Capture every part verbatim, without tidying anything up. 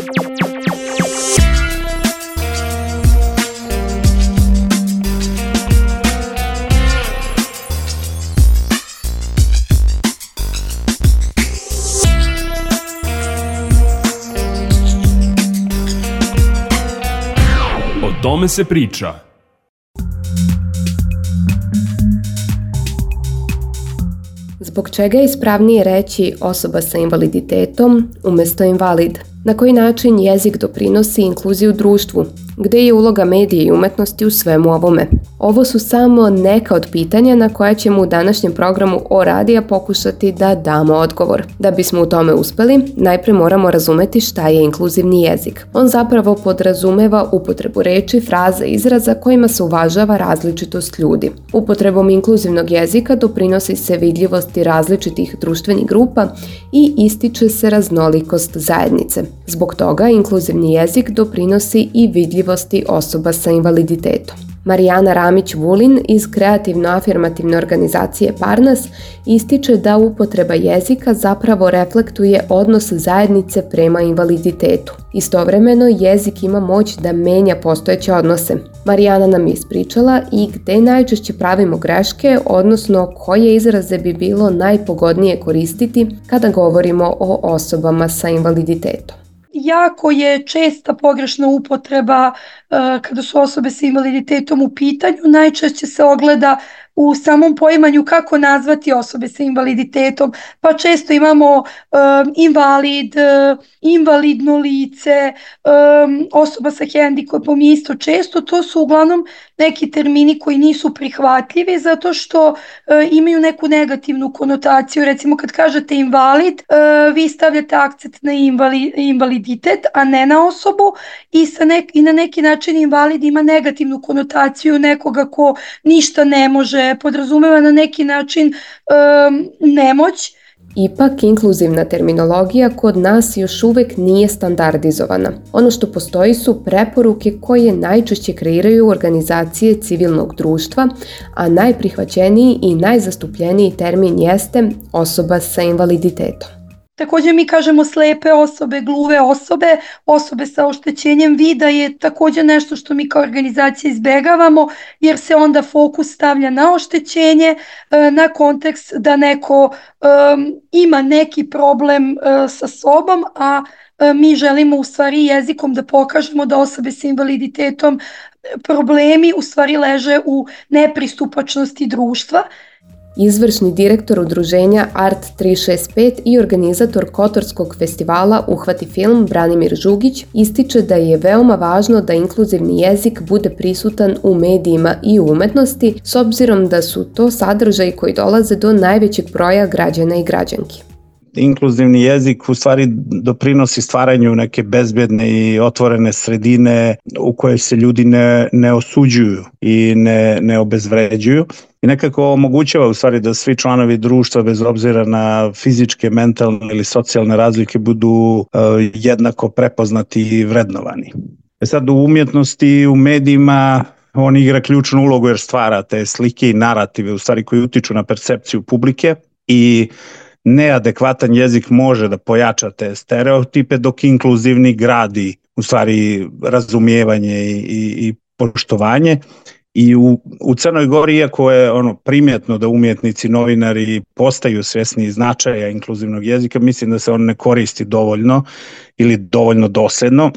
O tome se priča. Zbog čega je ispravnije reći osoba sa invaliditetom umjesto invalid? Na koji način jezik doprinosi inkluziju u društvu? Gdje je uloga medija i umetnosti u svemu ovome? Ovo su samo neka od pitanja na koja ćemo u današnjem programu O radija pokušati da damo odgovor. Da bismo u tome uspjeli, najprije moramo razumjeti šta je inkluzivni jezik. On zapravo podrazumeva upotrebu reči, fraza, izraza kojima se uvažava različitost ljudi. Upotrebom inkluzivnog jezika doprinosi se vidljivosti različitih društvenih grupa i ističe se raznolikost zajednice. Zbog toga inkluzivni jezik doprinosi i vidljivosti osoba sa invaliditetom. Marijana Ramić-Vulin iz kreativno-afirmativne organizacije Parnas ističe da upotreba jezika zapravo reflektuje odnos zajednice prema invaliditetu. Istovremeno, jezik ima moć da menja postojeće odnose. Marijana nam je ispričala i gde najčešće pravimo greške, odnosno koje izraze bi bilo najpogodnije koristiti kada govorimo o osobama sa invaliditetom. Jako je česta pogrešna upotreba uh, kada su osobe sa invaliditetom u pitanju. Najčešće se ogleda u samom poimanju kako nazvati osobe sa invaliditetom, pa često imamo um, invalid, uh, invalidno lice, um, osoba sa hendikepom isto često. To su uglavnom neki termini koji nisu prihvatljivi zato što uh, imaju neku negativnu konotaciju. Recimo kad kažete invalid, uh, vi stavljate akcent na invali, invaliditet, a ne na osobu i, sa nek, i na neki način invalid ima negativnu konotaciju nekoga ko ništa ne može, podrazumeva na neki način um, nemoć. Ipak, inkluzivna terminologija kod nas još uvijek nije standardizovana. Ono što postoji su preporuke koje najčešće kreiraju organizacije civilnog društva, a najprihvaćeniji i najzastupljeniji termin jeste osoba sa invaliditetom. Također mi kažemo slepe osobe, gluve osobe, osobe sa oštećenjem vida je također nešto što mi kao organizacija izbegavamo jer se onda fokus stavlja na oštećenje, na kontekst da neko um, ima neki problem uh, sa sobom, a uh, mi želimo u stvari jezikom da pokažemo da osobe sa invaliditetom problemi u stvari leže u nepristupačnosti društva. Izvršni direktor udruženja Art tri šest pet i organizator Kotorskog festivala Uhvati film Branimir Žugić ističe da je veoma važno da inkluzivni jezik bude prisutan u medijima i u umetnosti s obzirom da su to sadržaji koji dolaze do najvećeg broja građana i građanki. Inkluzivni jezik u stvari doprinosi stvaranju neke bezbedne i otvorene sredine u kojoj se ljudi ne, ne osuđuju i ne, ne obezvređuju i nekako omogućava u stvari da svi članovi društva bez obzira na fizičke, mentalne ili socijalne razlike budu uh, jednako prepoznati i vrednovani. E sad u umjetnosti, u medijima on igra ključnu ulogu jer stvara te slike i narative u stvari koji utiču na percepciju publike i neadekvatan jezik može da pojača te stereotipe dok inkluzivni gradi u stvari razumijevanje i, i, i poštovanje. I u, u Crnoj Gori, iako je ono primjetno da umjetnici, novinari postaju svjesni značaja inkluzivnog jezika, mislim da se on ne koristi dovoljno ili dovoljno dosljedno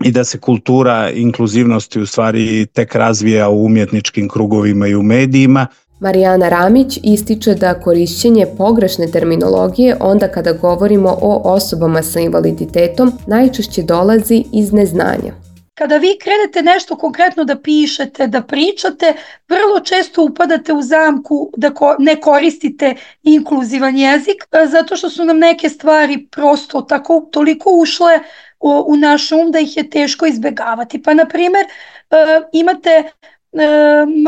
i da se kultura inkluzivnosti u stvari tek razvija u umjetničkim krugovima i u medijima. Marijana Ramić ističe da korišćenje pogrešne terminologije onda kada govorimo o osobama sa invaliditetom najčešće dolazi iz neznanja. Kada vi krenete nešto konkretno da pišete, da pričate, vrlo često upadate u zamku da ko- ne koristite inkluzivan jezik, zato što su nam neke stvari prosto tako toliko ušle u, u naš um da ih je teško izbegavati. Pa na primjer uh, imate uh,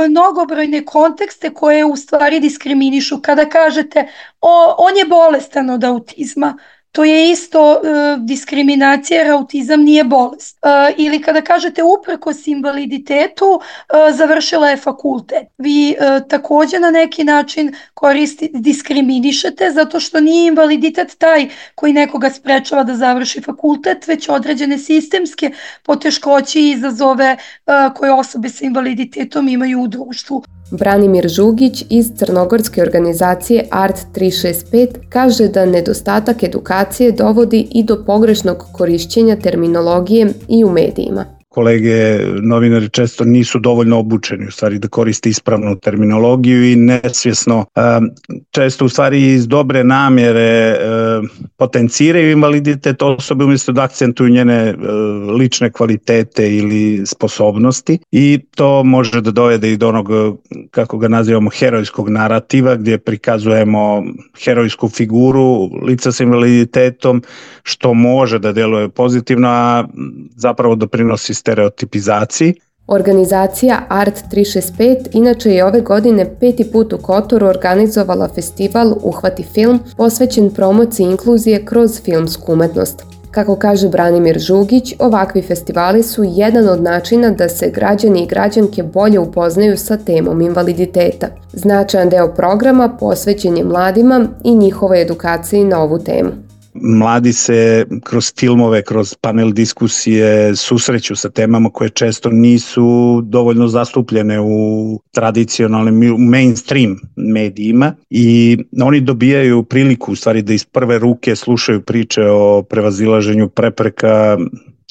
mnogobrojne kontekste koje u stvari diskriminišu. Kada kažete o, on je bolestan od autizma, to je isto e, diskriminacija jer autizam nije bolest. E, ili kada kažete uprkos invaliditetu e, završila je fakultet. Vi e, također na neki način koristi, diskriminišete zato što nije invaliditet taj koji nekoga sprečava da završi fakultet, već određene sistemske poteškoće i izazove uh, koje osobe sa invaliditetom imaju u društvu. Branimir Žugić iz crnogorske organizacije Art tri šest pet kaže da nedostatak edukacije dovodi i do pogrešnog korišćenja terminologije i u medijima. Kolege novinari često nisu dovoljno obučeni u stvari da koriste ispravnu terminologiju i nesvjesno često u stvari iz dobre namjere potenciraju invaliditet osobe umjesto da akcentuju njene lične kvalitete ili sposobnosti i to može da dovede i do onog, kako ga nazivamo, herojskog narativa gdje prikazujemo herojsku figuru lica sa invaliditetom što može da djeluje pozitivno, a zapravo doprinosi stereotipizaciji. Organizacija Art tri šest pet inače je ove godine peti put u Kotoru organizovala festival Uhvati film posvećen promociji inkluzije kroz filmsku umetnost. Kako kaže Branimir Žugić, ovakvi festivali su jedan od načina da se građani i građanke bolje upoznaju sa temom invaliditeta. Značajan deo programa posvećen je mladima i njihovoj edukaciji na ovu temu. Mladi se kroz filmove, kroz panel diskusije susreću sa temama koje često nisu dovoljno zastupljene u tradicionalnim, u mainstream medijima i oni dobijaju priliku u stvari da iz prve ruke slušaju priče o prevazilaženju prepreka,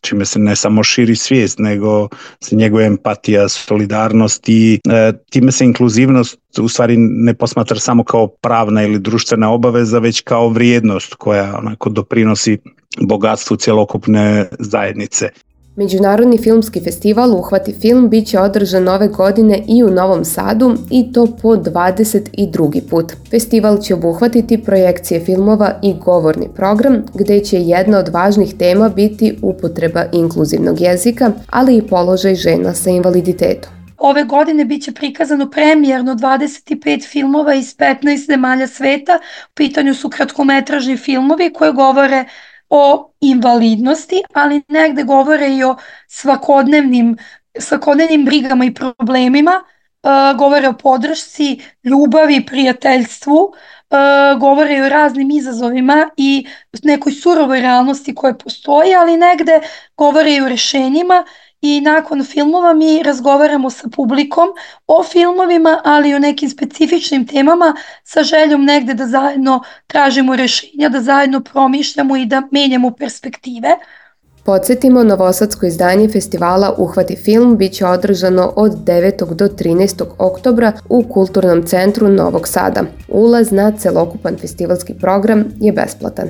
čime se ne samo širi svijest, nego se njeguje empatija, solidarnost i e, time se inkluzivnost u stvari ne posmatra samo kao pravna ili društvena obaveza, već kao vrijednost koja onako doprinosi bogatstvu cjelokupne zajednice. Međunarodni filmski festival Uhvati film bit će održan ove godine i u Novom Sadu i to po dvadeset drugi put. Festival će obuhvatiti projekcije filmova i govorni program gdje će jedna od važnih tema biti upotreba inkluzivnog jezika, ali i položaj žena sa invaliditetom. Ove godine bit će prikazano premijerno dvadeset pet filmova iz petnaest zemalja sveta. U pitanju su kratkometražni filmovi koje govore o invalidnosti, ali negde govore i o svakodnevnim, svakodnevnim brigama i problemima, uh, govore o podršci, ljubavi, prijateljstvu, uh, govore i o raznim izazovima i nekoj surovoj realnosti koja postoji, ali negde govore i o rješenjima. I nakon filmova mi razgovaramo sa publikom o filmovima, ali i o nekim specifičnim temama sa željom negde da zajedno tražimo rješenja, da zajedno promišljamo i da menjamo perspektive. Podsjetimo, novosadsko izdanje festivala Uhvati film bit će održano od devetog do trinaestog oktobra u Kulturnom centru Novog Sada. Ulaz na celokupan festivalski program je besplatan.